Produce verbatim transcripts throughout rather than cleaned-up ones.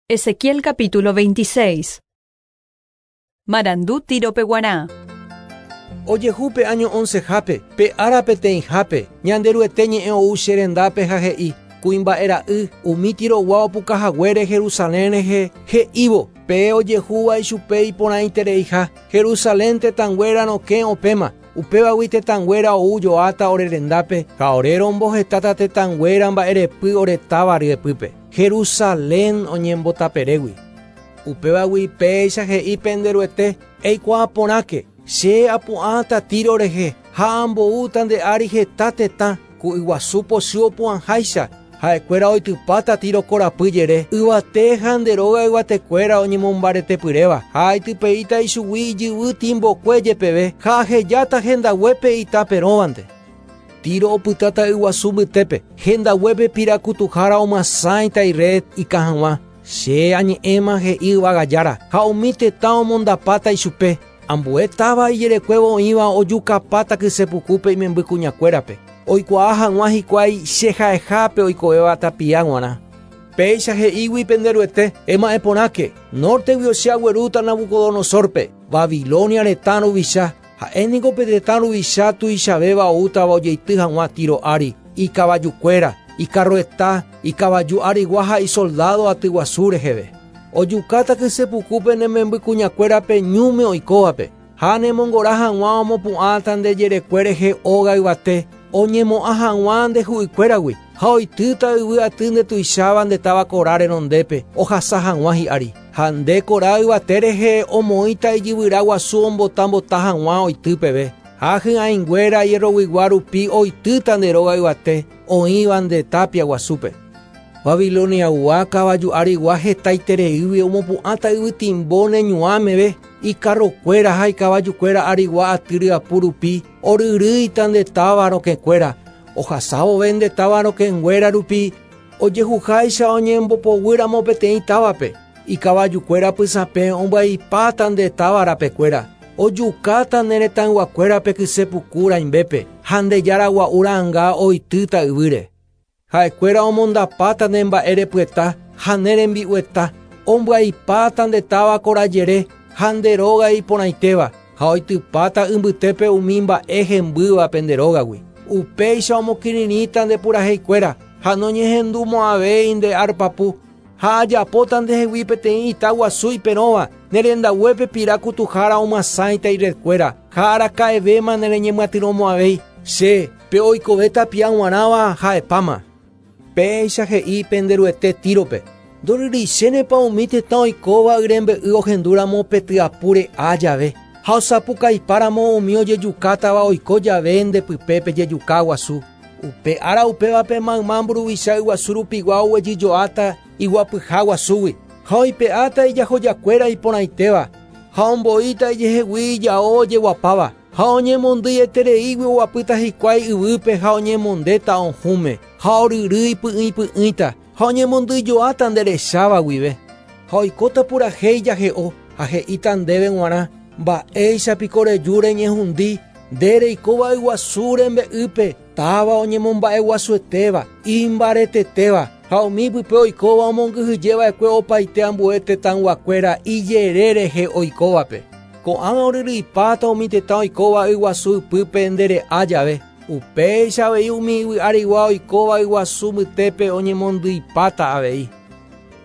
Ezequiel capítulo veintiséis. Marandu Tirope guarã. Ojehu pe año once hape, pe ára peteĩ hape, Ñanderuete ñe'ẽ ou che rendápe ha he'i, kuimba'e ra'y, umi Tirogua opukahaguére Jerusalén rehe, he'ívo, pe ojehúva ichupe iporãitereiha, Jerusalén tetãnguéra rokẽ opéma, upévagui tetãnguéra ou joáta ore rendápe, ha ore rombohetáta tetãnguéra mba'erepy ore táva ryepýpe. Jerusalén oñembotaperégui. Upévagui péicha he'i penderuete, eikuaa porãke, che apu'ãta Tiro rehe, ha amboúta nde ári heta tetã, ku yguasu pochy opu'ãháicha, ha'ekuéra oitypáta Tiro korapy jere, yvate ha nde róga yvatekuéra oñemombaretepyréva, ha aitypeíta ichugui ijyvy timbokue jepeve, ha ahejáta hendaguépe itaperõvante. Tiro opytáta yguasu mbytépe, hendaguépe pirakutuhára omyasãita ired ikã hag̃ua, che añe'ẽma he'i yvagajára, ha umi tetã omondapáta ichupe, ambue táva ijerekuévo oĩva ojukapáta kysepukúpe imemby kuñakuérape, oikuaa hag̃ua hikuái che ha'ehápe oikovéva tapia g̃uarã. Péicha he'ígui penderuete, ema'ẽ porãke, norteguio che aguerúta Nabucodonosorpe, Babilonia retã ruvicha, ha'e niko pe tetã ruvicha tuichavéva oútava ojeity hag̃ua Tiro ári, ikavajukuéra, ikarroeta, ikavaju arigua ha isoldado aty guasu reheve. Ojukáta kysepukúpe ne memby kuñakuérape ñúme oikóvape, ha nemongora hag̃ua omopu'ãta nde jerekue rehe óga yvate, oñemo'ã hag̃ua nde hu'ykuéragui, ha oitýta yvy aty ndetuicháva nde táva kora renondépe, ohasa hag̃ua hi'ári. Ha nde kora yvate rehe omoĩta ijyvyra guasu ombotambota hag̃ua oity peve. Ha hy'ãinguéra hierroguigua rupi oitýta nde róga yvate, oĩva nde tapia guasúpe. Babiloniagua kavaju arigua hetaitereígui omopu'ãta yvytimbo neñuãmeve, ikarrokuéra ha ikavajukuéra arigua aty ryapu rupi, oryrýita nde táva rokẽkuéra, ohasávove nde táva rokẽnguéra rupi, ojehuháicha oñembopoguýramo peteĩ távape, ikavajukuéra pysãpẽ ombyaipáta nde táva rapekuéra, ojukáta ne retãyguakuérape kysepuku rãimbépe, ha nde jára gua'u ra'ãnga oitýta yvýre. Ha'ekuéra omondapáta ne mba'erepyeta ha ne rembi'ueta, ombyaipáta nde táva korajere ha nde róga iporãitéva, ha oitypáta ymbytépe umi mba'e hembýva pende rógagui. Upéicha omokirirĩta nde puraheikuéra, ha noñehendumo'ãvéi nde arpapu, ha ajapóta ndehegui peteĩ ita guasu iperõva, ne rendaguépe pirakutuhára omyasãita iredkuéra, ha araka'evéma nereñemyatyrõmo'ãvéi, che, pe oikove tapia g̃uarãva ha'epáma. Péicha he'i penderuete Tírope, ndoryrýichénepa umi tetã oikóva yrembe'y ohendúramo pe tyapúre á jave, ha osapukaipáramo umi ojejukátava oiko jave ndepype pejejuka guasu. Upe ára upévape mayma mburuvicha yguasu rupigua oguejyjoáta iguapyha guasúgui, ha oipe'áta ijahojakuéra iporãitéva, ha omboíta ijehegui ijao ojeguapáva, ha oñemondýietereígui oguapýta hikuái yvýpe ha oñemondéta ohũme, ha oryrýi py'ỹipy'ỹita, ha oñemondýijoáta nderecháva guive. Ha oikóta purahéi jahe'o, ha he'íta ndéve g̃uarã, mba'éichapiko reju reñehundi, nde reikóva yguasu rembe'ýpe, táva oñemomba'eguasuetéva, imbaretetéva, ha umi pype oikóva omongyhyjeva'ekue opaite ambue tetãyguakuéra ijere rehe oikóvape. Ko'ág̃a oryrýipáta umi tetã oikóva yguasu ypýpe ndere'a jave. Upéicha avei umi yvy arigua oikóva yguasu mbytépe oñemondýipáta avei.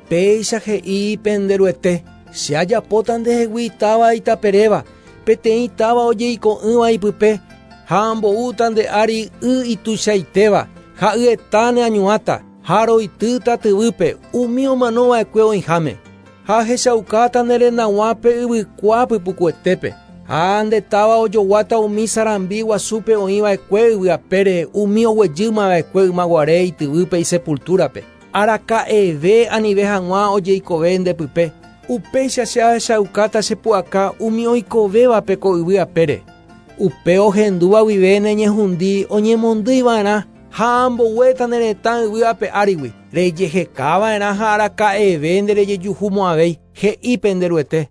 Péicha he'i penderuete, che ajapóta ndehegui táva itaperéva, peteĩ táva ojeiko'ỹva ipype, ha amboúta nde ári y ituichaitéva, ha yeta neañuãta, ha roitýta tyvýpe umi omanova'ekue oĩháme. Ha ahechaukáta ne rendag̃uápe yvykua pypukuetépe, ha nde táva ojoguáta umi sarambi guasúpe oĩva'ekue yvyapére umi oguejýmava'ekue ymaguare ityvýpe isepultúrape. Araka'eve anive hag̃ua ojeikove ndepype. Upéicha che ahechaukáta chepu'aka umi oikovévape ko yvy apére. Upe ohendúva guive neñehundi oñemondýiva'erã ha amboguéta ne retã yvy ape árigui, rejehekava'erã ha araka'eve nderejejuhumo'ãvéi, he'i penderuete.